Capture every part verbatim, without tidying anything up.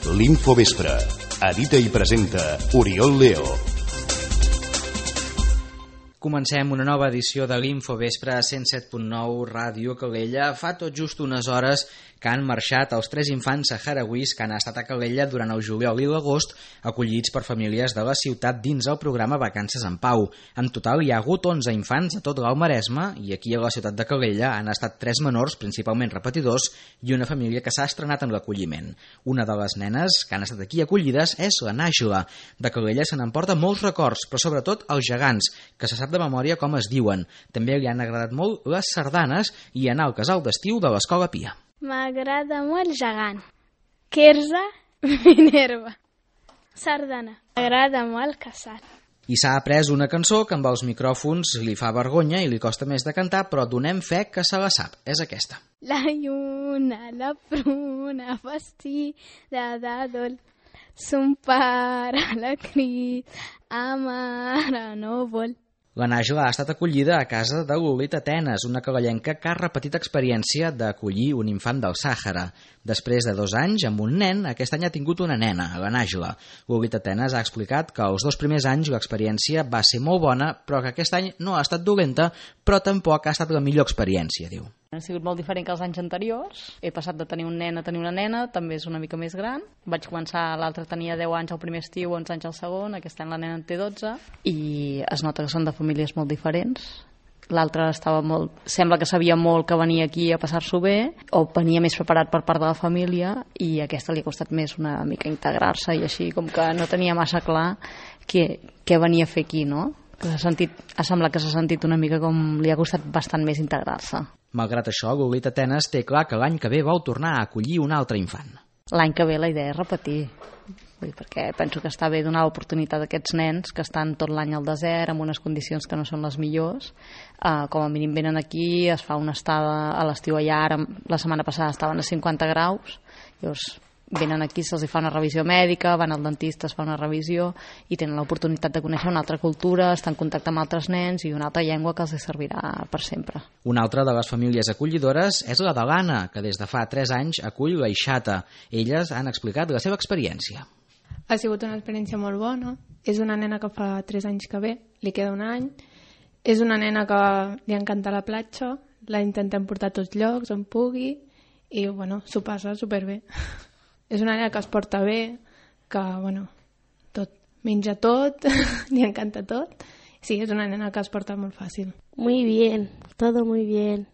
L'Infovespre. Edita i presenta Oriol Leo. Comencem una nova edició de l'Infovespre a cent set punt nou Ràdio Calella. Fa tot just unes hores que han marxat els tres infants saharauis que han estat a Calella durant el juliol i l'agost, acollits per famílies de la ciutat dins el programa Vacances en Pau. En total hi ha hagut onze infants a tot l'Alt Maresme i aquí a la ciutat de Calella han estat tres menors, principalment repetidors, i una família que s'ha estrenat en l'acolliment. Una de les nenes que han estat aquí acollides és la Nàjula. De Calella se n'emporta molts records, però sobretot els gegants, que se sap de memòria com es diuen. També li han agradat molt les sardanes i anar al casal d'estiu de l'Escola Pia. M'agrada molt gegant. Quirze, Minerva. Sardana. M'agrada molt casal. I s'ha après una cançó que amb els micròfons li fa vergonya i li costa més de cantar, però donem fe que se la sap. És aquesta. La lluna, la pruna, vestida de dol. Son pare la crida, a mare no vol. La Nàjula ha estat acollida a casa de Lolita Tenes, una calellenca que ha repetit experiència d'acollir un infant del Sàhara. Després de dos anys, amb un nen, aquest any ha tingut una nena, la Nàjula. Lolita Tenes ha explicat que els dos primers anys l'experiència va ser molt bona, però que aquest any no ha estat dolenta, però tampoc ha estat la millor experiència, diu. Ha sigut molt diferent que els anys anteriors. He passat de tenir un nen a tenir una nena, també és una mica més gran. Vaig començar, l'altre tenia deu anys al primer estiu, onze anys al segon, aquest any la nena en té dotze, i es nota que són de famílies molt diferents. L'altre estava molt... Sembla que sabia molt que venia aquí a passar-s'ho bé, o venia més preparat per part de la família, i a aquesta li ha costat més una mica integrar-se, i així com que no tenia massa clar què, què venia a fer aquí, no? Que s'ha sentit, ha semblat que s'ha sentit una mica com li ha costat bastant més integrar-se. Malgrat això, Lolita Tenes té clar que l'any que ve vol tornar a acollir un altre infant. L'any que ve la idea és repetir, vull dir, perquè penso que està bé donar l'oportunitat a aquests nens que estan tot l'any al desert, amb unes condicions que no són les millors. Uh, com a mínim venen aquí, es fa una estada a l'estiu allà, ara, la setmana passada estaven a cinquanta graus, llavors venen aquí, se'ls fa una revisió mèdica, van al dentista, es fa una revisió i tenen l'oportunitat de conèixer una altra cultura, estar en contacte amb altres nens i una altra llengua que els servirà per sempre. Una altra de les famílies acollidores és la de l'Anna, que des de fa tres anys acull la Ixata. Elles han explicat la seva experiència. Ha sigut una experiència molt bona. És una nena que fa tres anys que ve, li queda un any. És una nena que li encanta la platja, la intentem portar a tots llocs on pugui i bueno, s'ho passa superbé. És una nena que es porta bé, que, bueno, tot, menja tot, li encanta tot. Sí, es una nena que es porta molt fàcil. Muy bien, todo muy bien.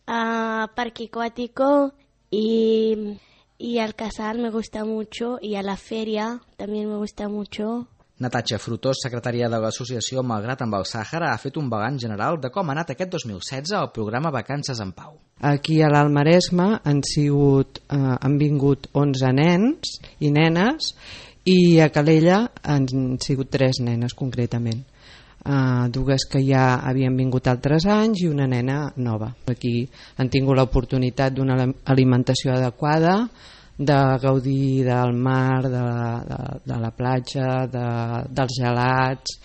A parque acuático y, y al casal me gusta mucho y a la feria también me gusta mucho. Natatxa Frutós, secretària de l'associació Malgrat amb el Sàhara, ha fet un balanç general de com ha anat aquest dos mil setze el programa Vacances en Pau. Aquí a l'Alt Maresme han, sigut, eh, han vingut onze nens i nenes i a Calella han sigut tres nenes concretament. Uh, dues que ja havien vingut altres anys i una nena nova. Aquí han tingut l'oportunitat d'una alimentació adequada, de gaudir del mar, de la, de, de la platja, de, dels gelats.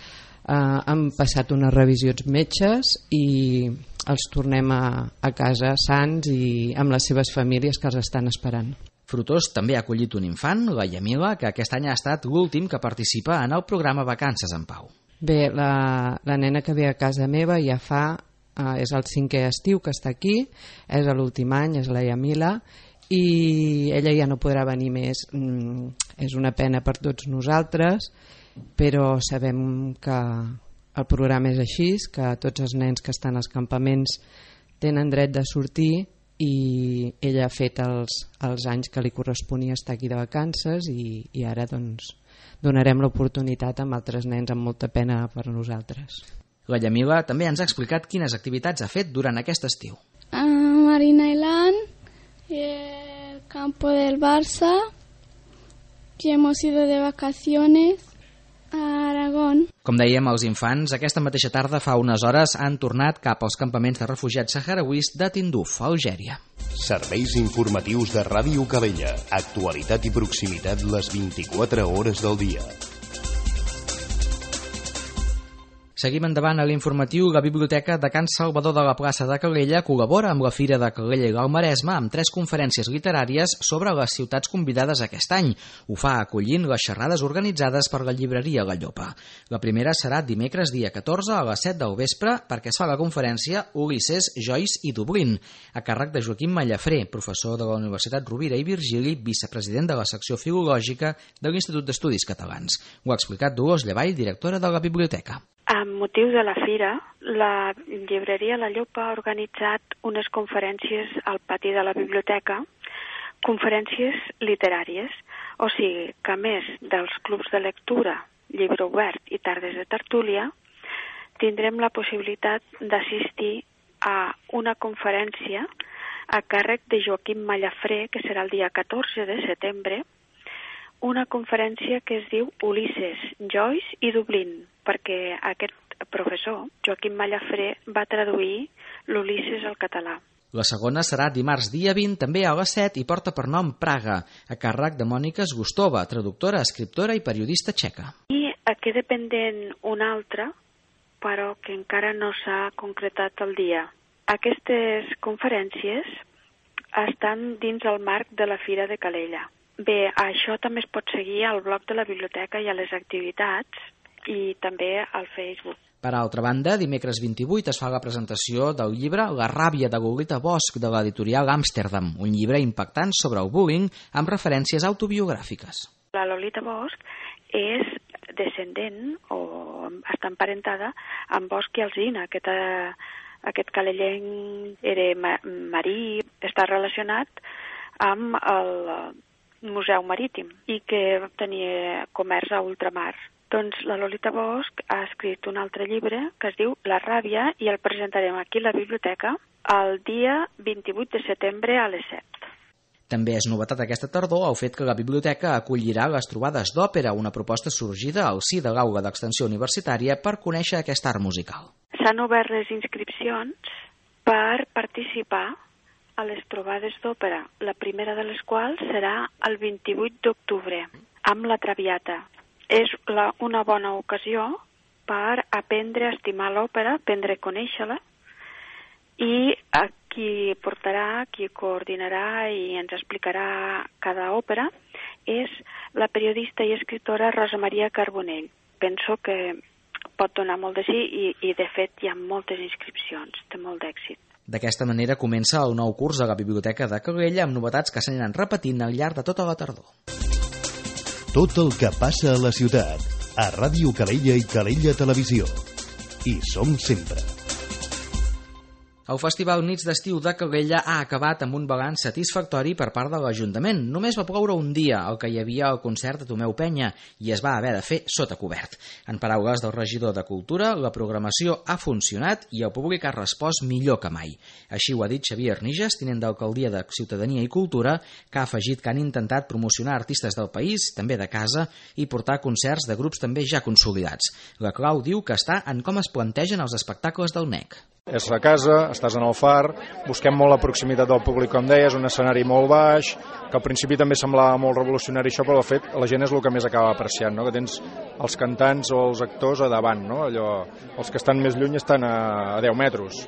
Eh, han passat unes revisions metges i els tornem a, a casa sants i amb les seves famílies que els estan esperant. Frutós també ha acollit un infant, la Yamila, que aquest any ha estat l'últim que participa en el programa Vacances en Pau. Bé, la, la nena que ve a casa meva ja fa, eh, és el cinquè estiu que està aquí, és l'últim any, és la Yamila, i ella ja no podrà venir més. Mm, és una pena per tots nosaltres, però sabem que el programa és així, que tots els nens que estan als campaments tenen dret de sortir i ella ha fet els, els anys que li corresponia estar aquí de vacances i, i ara doncs donarem l'oportunitat amb altres nens amb molta pena per nosaltres. La Yamila també ens ha explicat quines activitats ha fet durant aquest estiu. A Marina Island, el campo del Barça, y hemos ido de vacaciones a Aragón. Com dèiem, els infants aquesta mateixa tarda fa unes hores han tornat cap als campaments de refugiats saharauis de Tinduf, Algèria. Serveis informatius de Ràdio Calella. Actualitat i proximitat les vint-i-quatre hores del dia. Seguim endavant a l'informatiu. La Biblioteca de Can Salvador de la plaça de Calella col·labora amb la Fira de Calella i l'Alt Maresme amb tres conferències literàries sobre les ciutats convidades aquest any. Ho fa acollint les xerrades organitzades per la llibreria La Llopa. La primera serà dimecres dia catorze a les set del vespre perquè es fa la conferència Ulisses, Joyce i Dublín, a càrrec de Joaquim Mallafré, professor de la Universitat Rovira i Virgili, vicepresident de la secció filològica de l'Institut d'Estudis Catalans. Ho ha explicat Dolors Llavall, directora de la biblioteca. Amb motiu de la fira, la llibreria La Llopa ha organitzat unes conferències al pati de la biblioteca, conferències literàries, o sigui que a més dels clubs de lectura, llibre obert i tardes de tertúlia, tindrem la possibilitat d'assistir a una conferència a càrrec de Joaquim Mallafré, que serà el dia catorze de setembre, una conferència que es diu Ulisses, Joyce i Dublín, perquè aquest professor, Joaquim Mallafré, va traduir l'Ulisses al català. La segona serà dimarts dia vint, també a les set, i porta per nom Praga, a càrrec de Mònica Zgustova, traductora, escriptora i periodista txeca. I queda pendent una altra, però que encara no s'ha concretat el dia. Aquestes conferències estan dins el marc de la Fira de Calella. Bé, això també es pot seguir al blog de la biblioteca i a les activitats i també al Facebook. Per altra banda, dimecres vint-i-vuit es fa la presentació del llibre La ràbia de Lolita Bosch de l'editorial Amsterdam, un llibre impactant sobre el bullying amb referències autobiogràfiques. La Lolita Bosch és descendent o està emparentada amb Bosch i Alsina, aquest, aquest calellenc era marí, està relacionat amb el Museu Marítim i que tenia comerç a ultramar. Doncs la Lolita Bosch ha escrit un altre llibre que es diu La ràbia i el presentarem aquí a la biblioteca el dia vint-i-vuit de setembre a les set. També és novetat aquesta tardor el fet que la biblioteca acollirà les trobades d'òpera, una proposta sorgida al si de l'aula d'extensió universitària per conèixer aquest art musical. S'han obert les inscripcions per participar a les trobades d'òpera, la primera de les quals serà el vint-i-vuit d'octubre, amb la Traviata. És la, una bona ocasió per aprendre a estimar l'òpera, aprendre a conèixer-la, i a qui portarà, qui coordinarà i ens explicarà cada òpera és la periodista i escriptora Rosa Maria Carbonell. Penso que pot donar molt de sí i, i de fet hi ha moltes inscripcions, té molt d'èxit. D'aquesta manera comença el nou curs a la Biblioteca de Calella amb novetats que s'aniran repetint al llarg de tota la tardor. Tot el que passa a la ciutat, a Ràdio Calella i Calella Televisió. Hi som sempre. El Festival Nits d'Estiu de Calella ha acabat amb un balanç satisfactori per part de l'Ajuntament. Només va ploure un dia, el que hi havia al concert de Tomeu Penya, i es va haver de fer sota cobert. En paraules del regidor de Cultura, la programació ha funcionat i el públic ha respost millor que mai. Així ho ha dit Xavier Arniges, tinent d'Alcaldia de Ciutadania i Cultura, que ha afegit que han intentat promocionar artistes del país, també de casa, i portar concerts de grups també ja consolidats. La clau diu que està en com es plantegen els espectacles del N E C. És a casa, estàs en el far, busquem molt la proximitat del públic, com deies, un escenari molt baix, que al principi també semblava molt revolucionari això, però de fet la gent és el que més acaba apreciant, no? Que tens els cantants o els actors a davant, no? Allò, els que estan més lluny estan a, a deu metres.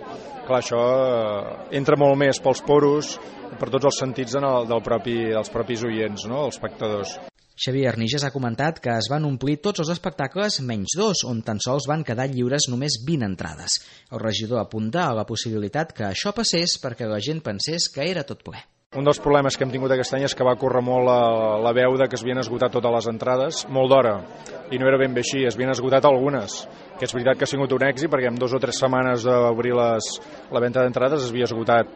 Clar, això eh, entra molt més pels poros, per tots els sentits en el, del propi, dels propis oients, no? Els espectadors. Xavier Arniges ha comentat que es van omplir tots els espectacles menys dos, on tan sols van quedar lliures només vint entrades. El regidor apunta a la possibilitat que això passés perquè la gent pensés que era tot ple. Un dels problemes que hem tingut aquest any és que va córrer molt la, la veu de que es havien esgotat totes les entrades, molt d'hora, i no era ben bé així, es havien esgotat algunes, que és veritat que ha sigut un èxit perquè en dues o tres setmanes d'obrir les, la venda d'entrades es havia esgotat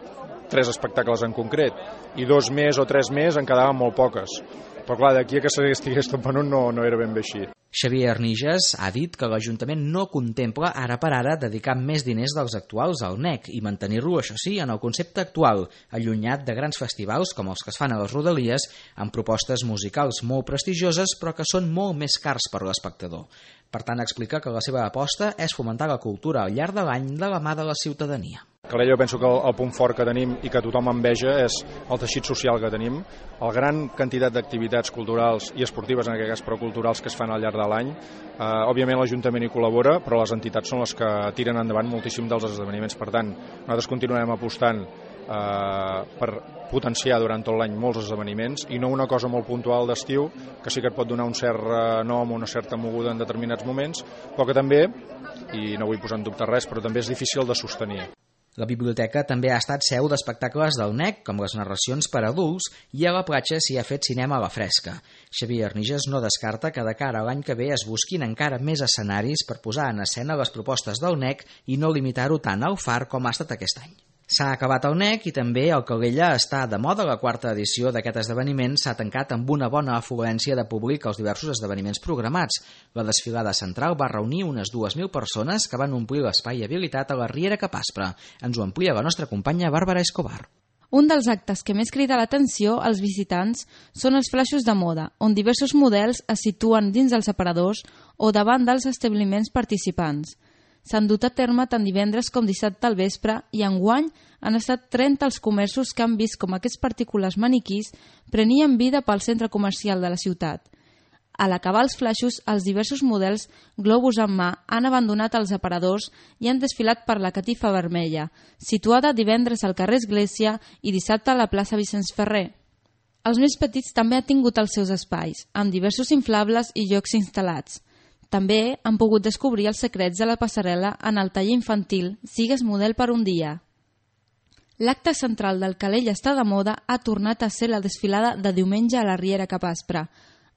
tres espectacles en concret, i dos més o tres més en quedaven molt poques. Però clar, d'aquí a que s'estigués tot venut no, no era ben bé així. Xavier Arniges ha dit que l'Ajuntament no contempla ara per ara dedicar més diners dels actuals al N E C i mantenir-lo, això sí, en el concepte actual, allunyat de grans festivals com els que es fan a les Rodalies, amb propostes musicals molt prestigioses però que són molt més cars per l'espectador. Per tant, explica que la seva aposta és fomentar la cultura al llarg de l'any de la mà de la ciutadania. Calella, penso que el, el punt fort que tenim i que tothom enveja és el teixit social que tenim, la gran quantitat d'activitats culturals i esportives, en aquest cas, però culturals, que es fan al llarg cicle de l'any. Uh, òbviament l'Ajuntament hi col·labora, però les entitats són les que tiren endavant moltíssim dels esdeveniments. Per tant, nosaltres continuarem apostant uh, per potenciar durant tot l'any molts esdeveniments i no una cosa molt puntual d'estiu, que sí que et pot donar un cert uh, nom o una certa moguda en determinats moments, però que també, i no vull posar en dubte res, però també és difícil de sostenir. La biblioteca també ha estat seu d'espectacles del N E C, com les narracions per adults, i a la platja s'hi ha fet cinema a la fresca. Xavier Arniges no descarta que de cara a l'any que ve es busquin encara més escenaris per posar en escena les propostes del N E C i no limitar-ho tant al Far com ha estat aquest any. S'ha acabat el N E C i també el Calella està de moda. La quarta edició d'aquest esdeveniment s'ha tancat amb una bona afluència de públic als diversos esdeveniments programats. La desfilada central va reunir unes dues mil persones que van omplir l'espai habilitat a la Riera Capaspra. Ens ho amplia la nostra companya Bàrbara Escobar. Un dels actes que més crida l'atenció als visitants són els flaixos de moda, on diversos models es situen dins dels aparadors o davant dels establiments participants. S'han dut a terme tant divendres com dissabte al vespre i enguany han estat trenta els comerços que han vist com aquests particulars maniquís prenien vida pel centre comercial de la ciutat. A l'acabar els flaixos, els diversos models, globus en mà, han abandonat els aparadors i han desfilat per la Catifa Vermella, situada divendres al carrer Església i dissabte a la plaça Vicenç Ferrer. Els més petits també han tingut els seus espais, amb diversos inflables i jocs instal·lats. També han pogut descobrir els secrets de la passarel·la en el taller infantil Sigues model per un dia. L'acte central del Calella està de moda ha tornat a ser la desfilada de diumenge a la Riera Capaspra.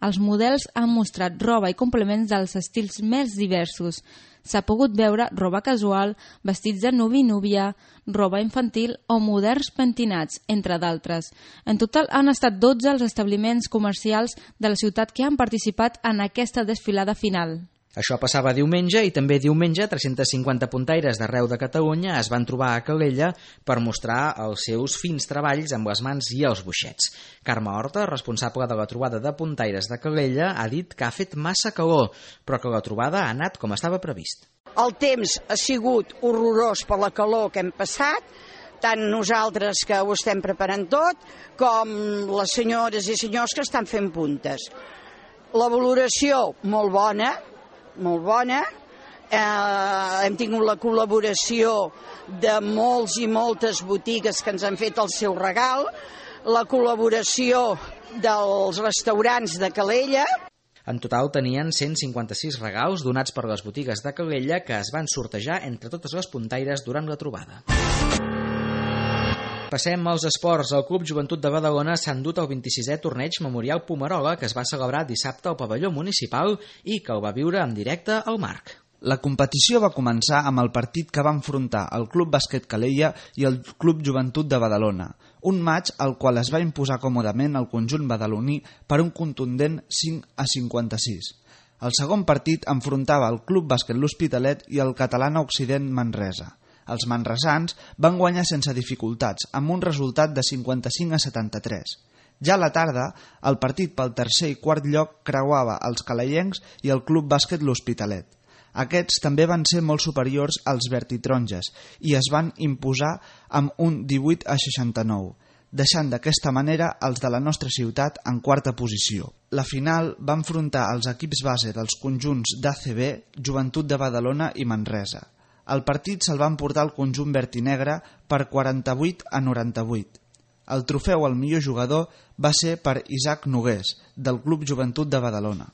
Els models han mostrat roba i complements dels estils més diversos. S'ha pogut veure roba casual, vestits de nuvi i núvia, roba infantil o moderns pentinats, entre d'altres. En total han estat dotze els establiments comercials de la ciutat que han participat en aquesta desfilada final. Això passava diumenge i també diumenge tres-cents cinquanta puntaires d'arreu de Catalunya es van trobar a Calella per mostrar els seus fins treballs amb les mans i els boixets. Carme Horta, responsable de la trobada de puntaires de Calella, ha dit que ha fet massa calor, però que la trobada ha anat com estava previst. El temps ha sigut horrorós per la calor que hem passat, tant nosaltres que ho estem preparant tot, com les senyores i senyors que estan fent puntes. La valoració molt bona, molt bona, eh, hem tingut la col·laboració de molts i moltes botigues que ens han fet el seu regal, la col·laboració dels restaurants de Calella. En total tenien cent cinquanta-sis regals donats per les botigues de Calella que es van sortejar entre totes les puntaires durant la trobada. Passem als esports. El Club Joventut de Badalona s'ha endut el vint-i-sisè torneig Memorial Pomerola que es va celebrar dissabte al pavelló municipal i que el va viure en directe al Marc. La competició va començar amb el partit que va enfrontar el Club Bàsquet Calella i el Club Joventut de Badalona, un matx al qual es va imposar còmodament el conjunt badaloní per un contundent cinc a cinquanta-sis. El segon partit enfrontava el Club Bàsquet L'Hospitalet i el Catalana Occident Manresa. Els manresans van guanyar sense dificultats, amb un resultat de cinquanta-cinc a setanta-tres. Ja a la tarda, el partit pel tercer i quart lloc creuava els calellencs i el Club Bàsquet L'Hospitalet. Aquests també van ser molt superiors als vertitronges i es van imposar amb un divuit a seixanta-nou, deixant d'aquesta manera els de la nostra ciutat en quarta posició. La final va enfrontar els equips base dels conjunts d'A C B, Joventut de Badalona i Manresa. El partit se'l va emportar el conjunt vertinegre per quaranta-vuit a noranta-vuit. El trofeu al millor jugador va ser per Isaac Nogués, del Club Joventut de Badalona.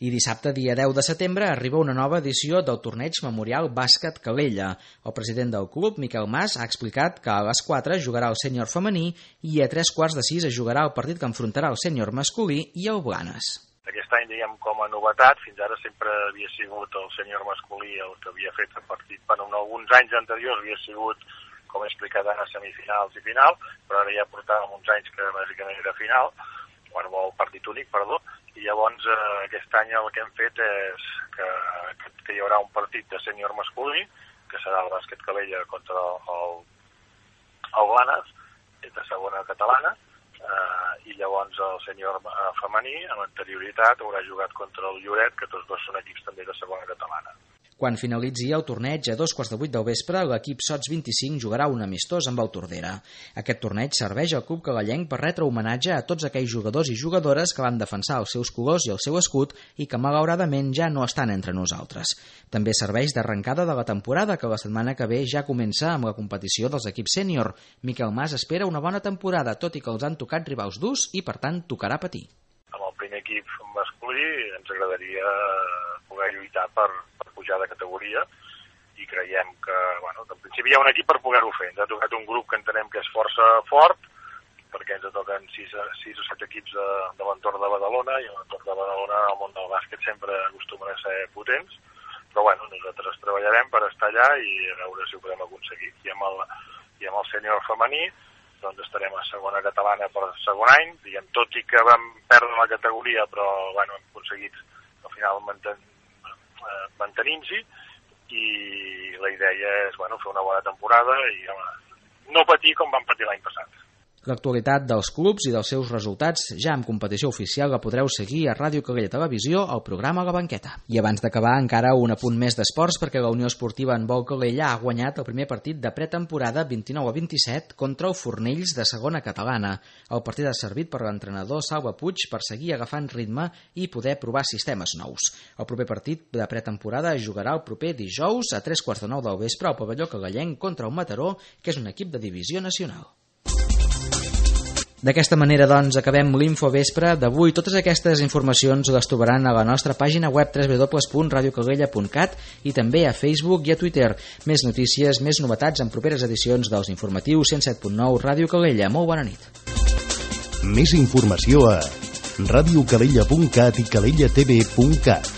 I dissabte, dia deu de setembre, arriba una nova edició del torneig Memorial Bàsquet Calella. El president del club, Miquel Mas, ha explicat que a les quatre jugarà el sènior femení i a tres quarts de sis es jugarà el partit que enfrontarà el sènior masculí i el Blanes. Aquest any, diguem, com a novetat, fins ara sempre havia sigut el sènior masculí el que havia fet el partit. Bueno, en alguns anys anteriors havia sigut, com he explicat, a semifinals i final, però ara ja portàvem uns anys que bàsicament era final, bueno, el partit únic, perdó, i llavors eh, aquest any el que hem fet és que, que hi haurà un partit de sènior masculí, que serà el bàsquet Calella contra el, el Blanes, de segona catalana, eh, i llavors el sènior eh, femení, amb anterioritat, haurà jugat contra el Lloret, que tots dos són equips també de segona catalana. Quan finalitzi el torneig a dos quarts de vuit del vespre, l'equip Sots vint-i-cinc jugarà un amistós amb el Tordera. Aquest torneig serveix al club calellenc per retre homenatge a tots aquells jugadors i jugadores que van defensar els seus colors i el seu escut i que malauradament ja no estan entre nosaltres. També serveix d'arrencada de la temporada, que la setmana que ve ja comença amb la competició dels equips sènior. Miquel Mas espera una bona temporada, tot i que els han tocat rivals durs i, per tant, tocarà patir. Amb el primer equip masculí ens agradaria poder lluitar per, per pujar de categoria i creiem que, bueno, en principi hi ha un equip per poder-ho fer. Ens ha tocat un grup que entenem que és força fort, perquè ens toquen sis, sis o set equips de, de l'entorn de Badalona, i l'entorn de Badalona al món del bàsquet sempre acostumen a ser potents, però bueno, nosaltres treballarem per estar allà i a veure si ho podem aconseguir. I amb el, i amb el sènior femení doncs estarem a segona catalana per segon any, diguem, tot i que vam perdre la categoria, però bueno, hem aconseguit al final manten, eh, mantenint-s'hi, i la idea és, bueno, fer una bona temporada i home, no patir com vam patir l'any passat. L'actualitat dels clubs i dels seus resultats ja en competició oficial la podreu seguir a Ràdio Calella Televisió al programa La Banqueta. I abans d'acabar, encara un apunt més d'esports, perquè la Unió Esportiva Handbol Calella ha guanyat el primer partit de pretemporada vint-i-nou a vint-i-set contra el Fornells de segona catalana. El partit ha servit per l'entrenador Salva Puig per seguir agafant ritme i poder provar sistemes nous. El proper partit de pretemporada es jugarà el proper dijous a tres quarts de nou del vespre al pavelló calellenc contra el Mataró, que és un equip de divisió nacional. D'aquesta manera, doncs, acabem l'Infovespre d'avui. Totes aquestes informacions les trobaran a la nostra pàgina web w w w punt radio calella punt cat i també a Facebook i a Twitter. Més notícies, més novetats en properes edicions dels informatius cent set punt nou Ràdio Calella. Molt bona nit. Més informació a radio calella punt cat i calella t v punt cat.